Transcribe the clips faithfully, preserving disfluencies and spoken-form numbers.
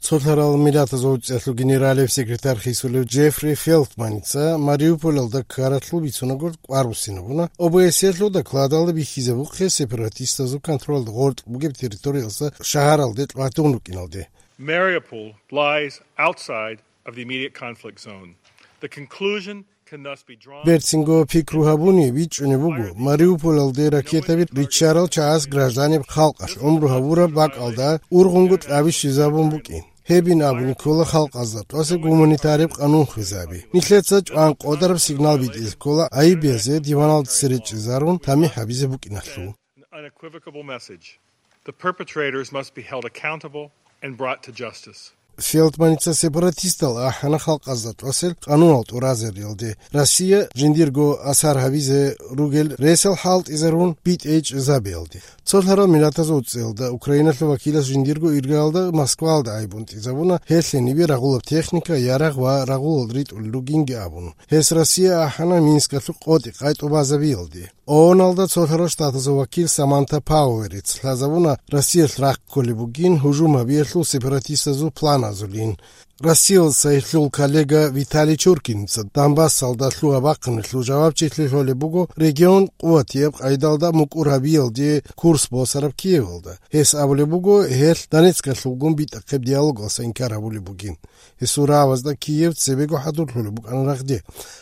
Цолъарал Миллатазул ГӀуцӀиялъул генералияб секретарь хисулев Джеффри Фелтманица Мариуполалда ккаралъул бицунагурал кӀвар буссинабуна, О Б С Е-лъул докладалда бихьизабухъе сепаратистазул контролалда гъоркь бугеб территориялдаса шагьаралде тӀватун рукӀиналде. Mariupol lies outside of the immediate conflict zone. The conclusion can thus be drawn. Берцинго пикру гьабуни, бичӀчӀунеб буго, Мариуполалде ракетаби риччарал чагӀаз гражданиб халкъалъ гӀумру гьабураб бакӀалда ургъунго кьаби щвезабун букӀин. Гьебин абуни ккола халкъазда тӀаса гуманитариб къанун хвезаби. Нилъеца чӀван къодараб сигнал битӀизе ккола гӀайиб базе, диваналда цере чӀезарун тамихӀ гьабизе букӀиналъул. An unequivocal message. The perpetrators must be held accountable and brought to justice. Фелтманица сепаратистал ахӀана халкъазда тӀасел къанунал тӀуразариялде, Россия жиндирго асар гьабизе ругел ресал хӀалтӀизарун битӀейчӀезабиялде. Цолъарал Миллатазул ГӀуцӀиялда Украиналъул вакилас жиндирго иргаялда Москваялда гӀайиб унтӀизабуна гьелъ гьенибе рагъулаб техника, ярагъ ва рагъулал ритӀулел ругинги абун. Гьес Россия ахӀана Минскалъул къотӀи-къай тӀубазабиялде. О О Н-алда Цолъарал Штатазул вакил Саманта Пауэрец лъазабуна Россиялъ рахъ кколеб бугин гьужум гьабиялъул сепаратистазул планазулин. Россиялдаса гьелъул коллега Виталий Чуркиница Донбассалда лъугьа-бахъиналъул жавабчилъи лъолеб буго регион къуватияб къайдалда мукӀур гьабиялде курс босараб Киевалда. Гьес абулеб буго, гьелъ Донецкалъулгун битӀахъеб диалогалъа инкар гьабулеб бугин. Гьесул рагӀабазда Киев цебего хӀадурлъулеб букӀана рагъде.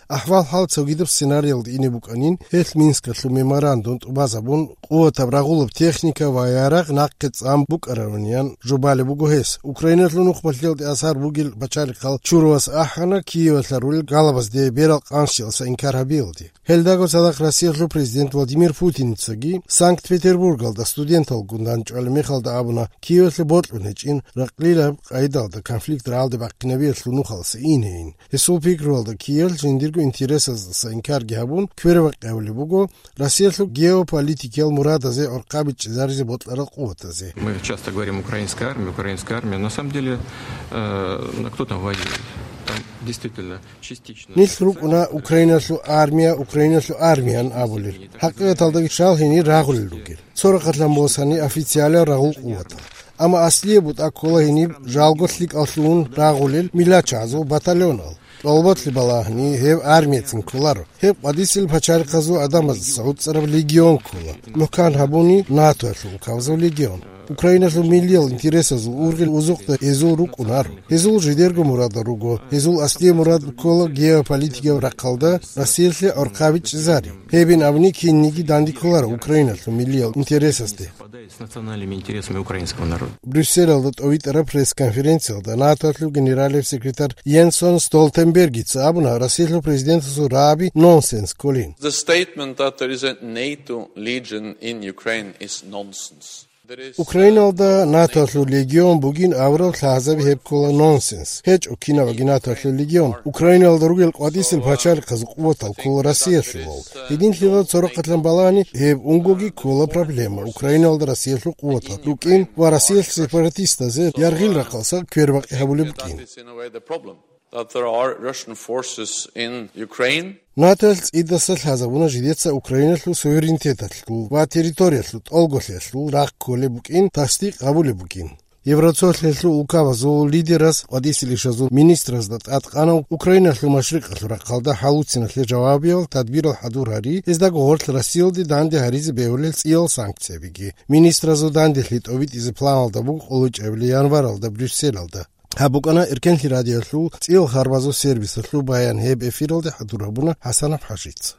АхӀвал-хӀал цогидаб сценариялда ине букӀанин, гьелъ Минскалъул меморандум тӀубазабун, къуватаб рагъулаб техника ва ярагъ нахъе цӀан букӀаравинин жубалеб буго гьес. Украиналъул нухмалъиялде асар бугел пачалихъал чурувас ахӀана Киевалъа рулел галабазде берал къанщиялдаса инкар гьабиялде. Гьелдаго цадахъ Россиялъул президент Владимир Путиницаги Санкт-Петербургалда студенталгун дандчӀвалеб мехалда абуна, Киевалъе бокьун гьечӀин ракълилаб къайдалда конфликт рагӀалде бахъинабиялъул нухалъ инейин. Гьесул пикруялда, Киевалъ жиндирго интересаздаса инкарги гьабун, квербакъи гьабулеб буго Россиялъул геополитикиял мурадазе гӀорхъаби чӀезаризе бокьарал къуватазе. Мы часто говорим «украинская армия, украинская армия». На самом деле, э, ну, кто там воюет? Там действительно частично. Нилъ рукӀуна Украиналъул армия, Украиналъул армиян абулел. ХӀакъикъаталдаги щал гьенир рагъулел ругел. Цо рахъалъан босани официалиял рагъул къуватал. Амма аслияб бутӀа ккола гьениб жалго лъикӀаллъун рагъулел миллачагӀазул батальонал. ТӀолботлъи балагьани гьеб армияцин кколаро. Гьеб къвадисел пачалихъазул гӀадамаздаса гӀуцӀараб легион ккола. МухӀкан гьабуни НАТОялъул улкабазул легион. Украиналъул миллиял интересазул ургъел узухъда гьезул рукӀунаро. Гьезул жидерго мурадал руго. Гьезул аслияб мурад ккола геополитикияб рахъалда Россиялъе гӀорхъаби чӀезари. Гьебин абуни кинниги данде кколаро Украиналъул миллиял интересазде. Совпадает с национальными интересами украинского народа. Брюсселалда тӀовитӀараб пресс-конференциялда НАТОялъул генералияб секретарь Йенсон Столтенбергица абуна, Россиялъул президентасул рагӀаби нонсенс кколин. The statement that there is a NATO legion in Ukraine is nonsense. There is Украиналда НАТОялъул легион бугин абураб лъазаби гьеб ккола нонсенс. ГьечӀо кинабаги НАТОялъул легион. Украиналда ругел къватӀисел пачалихъазул къуватал ккола Россиялъулал. Гьединлъидал цо рахъалъан балагьани, гьеб унгоги ккола проблема Украиналда Россиялъул къуватал рукӀин ва Россиялъ сепаратистазе яргъил рахъалса квербакъи гьабулеб букӀин. That there are Russian forces in Ukraine. НАТОялъ цӀидаса лъазабуна жидеца Украиналъул суверенитеталъул ва территориялъул тӀолголъиялъул рахъ кколеб букӀин тасдикъ гьабулеб бугин. Евроцолъиялъул улкабазул лидераз къватӀисел ишазул министразда тӀадкъана Украиналъул машрикъалъул рахъалда хӀалуцинахъе жавабиял тадбирал хӀадур гьари, гьездаго гъорлъ Россиялде данде гьаризе бегьулел цӀиял санкциябиги. Министразул данделъи тӀобитӀизе планалда буго къуллучӀабилеб январалда Брюсселалда. Гьаб букӀана Эркенлъи радиоялъул цӀиял харбазул сервисалъул баян, гьеб эфиралде хӀадур гьабуна ХӀасанов ХӀажица.